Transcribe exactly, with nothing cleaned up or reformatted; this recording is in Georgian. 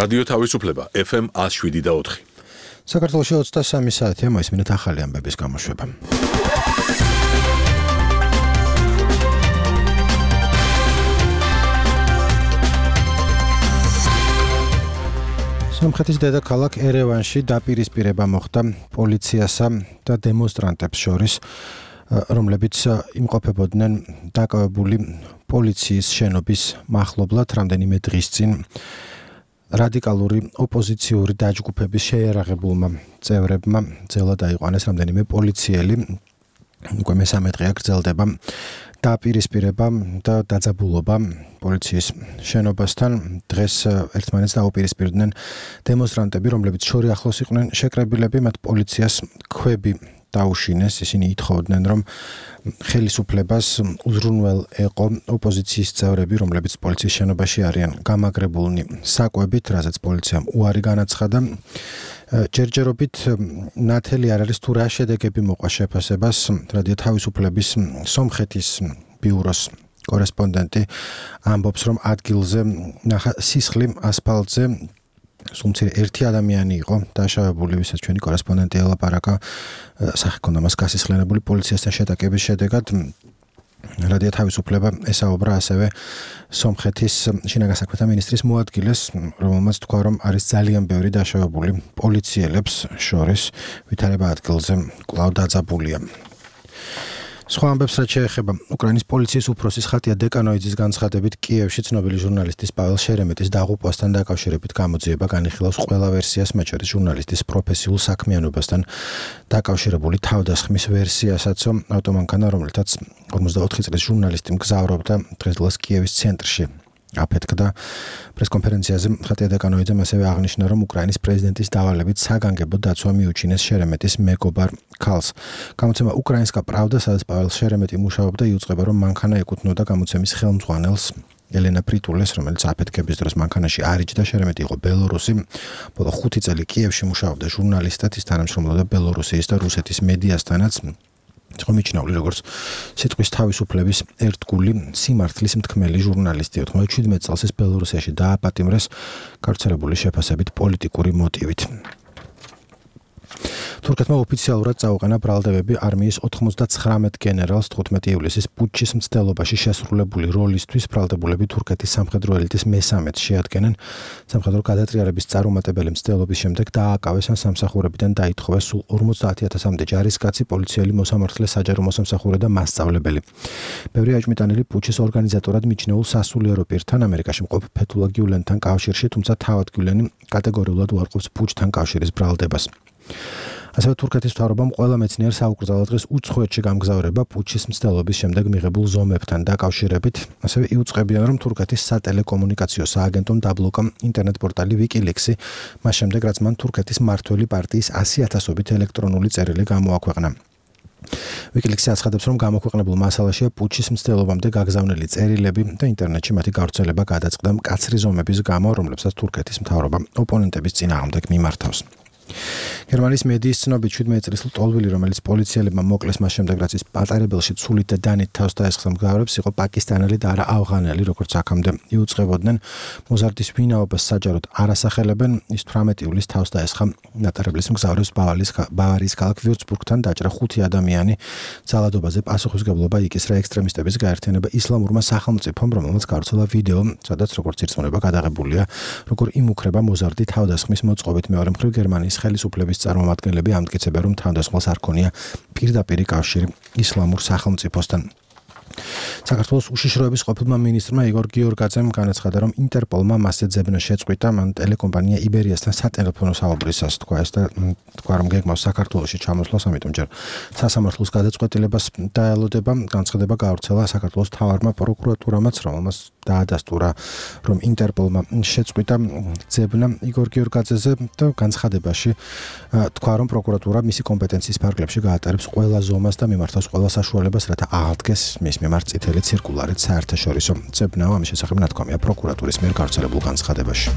რადიო თავისუფლება ეფ ემ ათს შვიდი და ოთხი. საქართველოში ოცდასამი საათია მოისმინეთ ახალი ამბების გამოშვება. სომხეთის დედაქალაქ ერევანში დაპირისპირება მოხდა პოლიციასა და დემონსტრანტებს შორის, რომლებიც იმყოფებოდნენ დაკავებული პოლიციის შენობის მახლობლად რამდენიმე დღის წინ რადიკალური ოპოზიციური დაჯგუფების შეიარაღებულმა წევრებმა ძელა დაიყვანეს რამდენიმე პოლიციელი. უკვე მესამე დღეა გრძელდება დაპირისპირება და დაძაბულობა პოლიციის შენობასთან. დღეს ერთმანეთს დაუპირისპირდნენ დემონსტრანტები, რომლებიც შორი ახლოს იყვნენ შეკრებილები, მათ პოლიციას ქვები დაუშინეს. ისინი ითხოვდნენ, რომ ხელისუფლებას უზრუნველ ეყო ოპოზიციის წევრები, რომლებიც პოლიციის შენობაში არიან გამაგრებულნი საკვებით, რაზეც პოლიციამ უარი განაცხადა. ჯერჯერობით ნათელი არ არის თუ რა შედეგები მოყვა შეფასებას. რადიო თავისუფლების სომხეთის ბიუროს კორესპონდენტი ამბობს, რომ ადგილზე ნახა სისხლი ასფალტზე. სულ ერთი ადამიანი იყო დაშავებული, ვისაც ჩვენი კორესპონდენტი ელაპარაკა, სახე ჰქონდა მას გასისხლენებული პოლიციასთან შეტაკების შედეგად. რადიო თავისუფლება ესაუბრა ასევე სომხეთის შინაგან საქმეთა მინისტრის მოადგილეს, რომელმაც თქვა, რომ არის ძალიან ბევრი დაშავებული პოლიციელებს შორის, ვითარება ადგილზე კვლავ დაძაბულია. სხვა ამბებს რაც შეეხება უკრაინის პოლიციის უფროსის ხატია დეკანოიძის განცხადებით, კიევში ცნობილი ჟურნალისტის პაվել შერემეტის დაღუპვასთან დაკავშირებით გამოძიება განიხილავს ყველა ვერსიას, მათ შორის ჟურნალისტის პროფესიულ საქმიანობასთან დაკავშირებული თავდასხმის ვერსიასაც. ავტომანქანა, რომელთაც ორმოცდაოთხი წლის ჟურნალისტი მგზავრობდა დღესდღეას კიევის ცენტრში აფეთქდა. პრესკონფერენციაზე ხატია დეკანოიძემ ასევე აღნიშნა, რომ უკრაინის პრეზიდენტის დავალებით საგანგებო დაცვა მიუჩინეს შერემეტის მეგობარ ქალს. გამოცემა უკრაინსკა პრავდა, სადაც პაվել შერემეტი მუშაობდა, იუწყება, რომ მანქანა ეკუთვნოდა გამოცემის ხელმძღვანელს ელენა პრიტულეს, რომელიც აფეთქების დროს მანქანაში არ იჯდა. შერემეტი იყო ბელორუსი. ბოლო ხუთი წელი კიევში მუშაობდა ჟურნალისტად, ის თანამშრომლობდა ბელორუსიის და რუსეთის მედიასთანაც. იყო მიჩნეული როგორც სიტყვის თავისუფლების ერთგული სიმართლის მთქმელი ჟურნალისტი. ოცდაშვიდმეტ წელს ის ბელორუსიაში დააპატიმრეს გავრცელებული შეფასებით პოლიტიკური მოტივით. თურქეთმა ოფიციალურად წაუყენა ბრალდებები არმიის ოთხმოცდაცხრამეტ გენერალს თხუთმეტი ივლისის პუტჩის მცდელობაში შესრულებული როლისთვის. ბრალდებულები თურქეთის სამხედრო ელიტის მესამედს შეადგენენ. სამხედრო გადატრიალების წარუმატებელი მცდელობის შემდეგ დააკავეს ან სამსახურებიდან დაითხოვეს სულ ორმოცდაათი ათასამდე ჯარისკაცი, პოლიციელი, მოსამართლე, საჯარო მოსამსახურე და მასწავლებელი. ბევრი აჭმიტანილი პუტჩის ორგანიზატორად მიჩნეულ სასულიერო პირთან, ამერიკაში მყოფ ფეთულა გიულენთან კავშირში, თუმცა თავად გიულენი კატეგორიულად უარყოფს პუტჩთან კავშირის ბრალდებას. ასევე თურქეთის მთავრობამ ყველა მეცნიერს აუკრძალა დღეს უცხოეთში გამგზავრება პუტჩის მცდელობის შემდეგ მიღებულ ზომებთან დაკავშირებით. ასევე იუწყებიან, რომ თურქეთის სატელეკომუნიკაციო სააგენტომ დაბლოკა ინტერნეტ პორტალი ვიკილიქსი, მას შემდეგ რაც მან თურქეთის მმართველი პარტიის ასი ათასობით ელექტრონული წერილი გამოაქვეყნა. ვიკილიქსი აცხადებს, რომ გამოქვეყნებულ მასალაშია პუტჩის მცდელობამდე გაგზავნილი წერილები და ინტერნეტში მათი გავრცელება გადაწყდა მკაცრი ზომების გამო, რომლებსაც თურქეთის მთავრობა ოპონენტების წინააღმდეგ მიმართავს. გერმანიის მედიის ცნობით შვიდმეტი წლის ლტოლვილი, რომელიც პოლიციელებმა მოკლეს მას შემდეგ, რაც ის პატარებელში ცულით და დანით თავს დაესხა მგზავრებს, იყო პაკისტანელი და არა ავღანელი, როგორც აქამდე იუწყებოდნენ. მოზარდის ვინაობას საჯაროდ არ ასახელებენ. ის თვრამეტი ივლისს თავს დაესხა ნატარებლის მგზავრებს ბავარიის ქალაქ ვიურცბურგთან, დაჭრა ხუთი ადამიანი. ძალადობაზე პასუხისმგებლობა იკისრა ექსტრემისტების გაერთიანება ისლამურმა სახელმწიფომ, რომელმაც გავრცელა ვიდეო, სადაც როგორც ირწმუნება გადაღებულია, როგორ იმუქრება მოზარდი თავდასხმის მოწყობით. მეორე მხრივ გერმანიის ხელისუფლების წარმომადგენლები ამტკიცებენ, რომ თავდასხმას არ ქონია პირდაპირი კავშირი ისლამურ სახელმწიფოსთან. საქართველოს უშიშროების ყოფილმა მინისტრმა იგორ გიორგაძემ განაცხადა, რომ ინტერპოლმა მასზე ძებნა შეწყვიტა. მან ტელეკომპანია იბერიასთან სატელეფონო საუბრისას თქვა ეს და თქვა, რომ გეგმავს საქართველოში ჩამოსვლას, ამიტომ ჯერ სასამართლოს გადაწყვეტილებას დაელოდება. განცხადება გავრცელა საქართველოს მთავარმა პროკურატურამაც, რომელმაც დაადასტურა, რომ ინტერპოლმა შეწყვიტა ძებნა იგორ გიორგაძეზე და განცხადებაში თქვა, რომ პროკურატურა მისი კომპეტენციის ფარგლებში გაატარებს ყველა ზომას და მიმართავს ყველა საშუალებას, რათა აღდგეს მის მიმართ წითელი ცირკულარით საერთაშორისო ძებნა. ამის შესახებ ნათქვამია პროკურატურის მიერ გავრცელებულ განცხადებაში.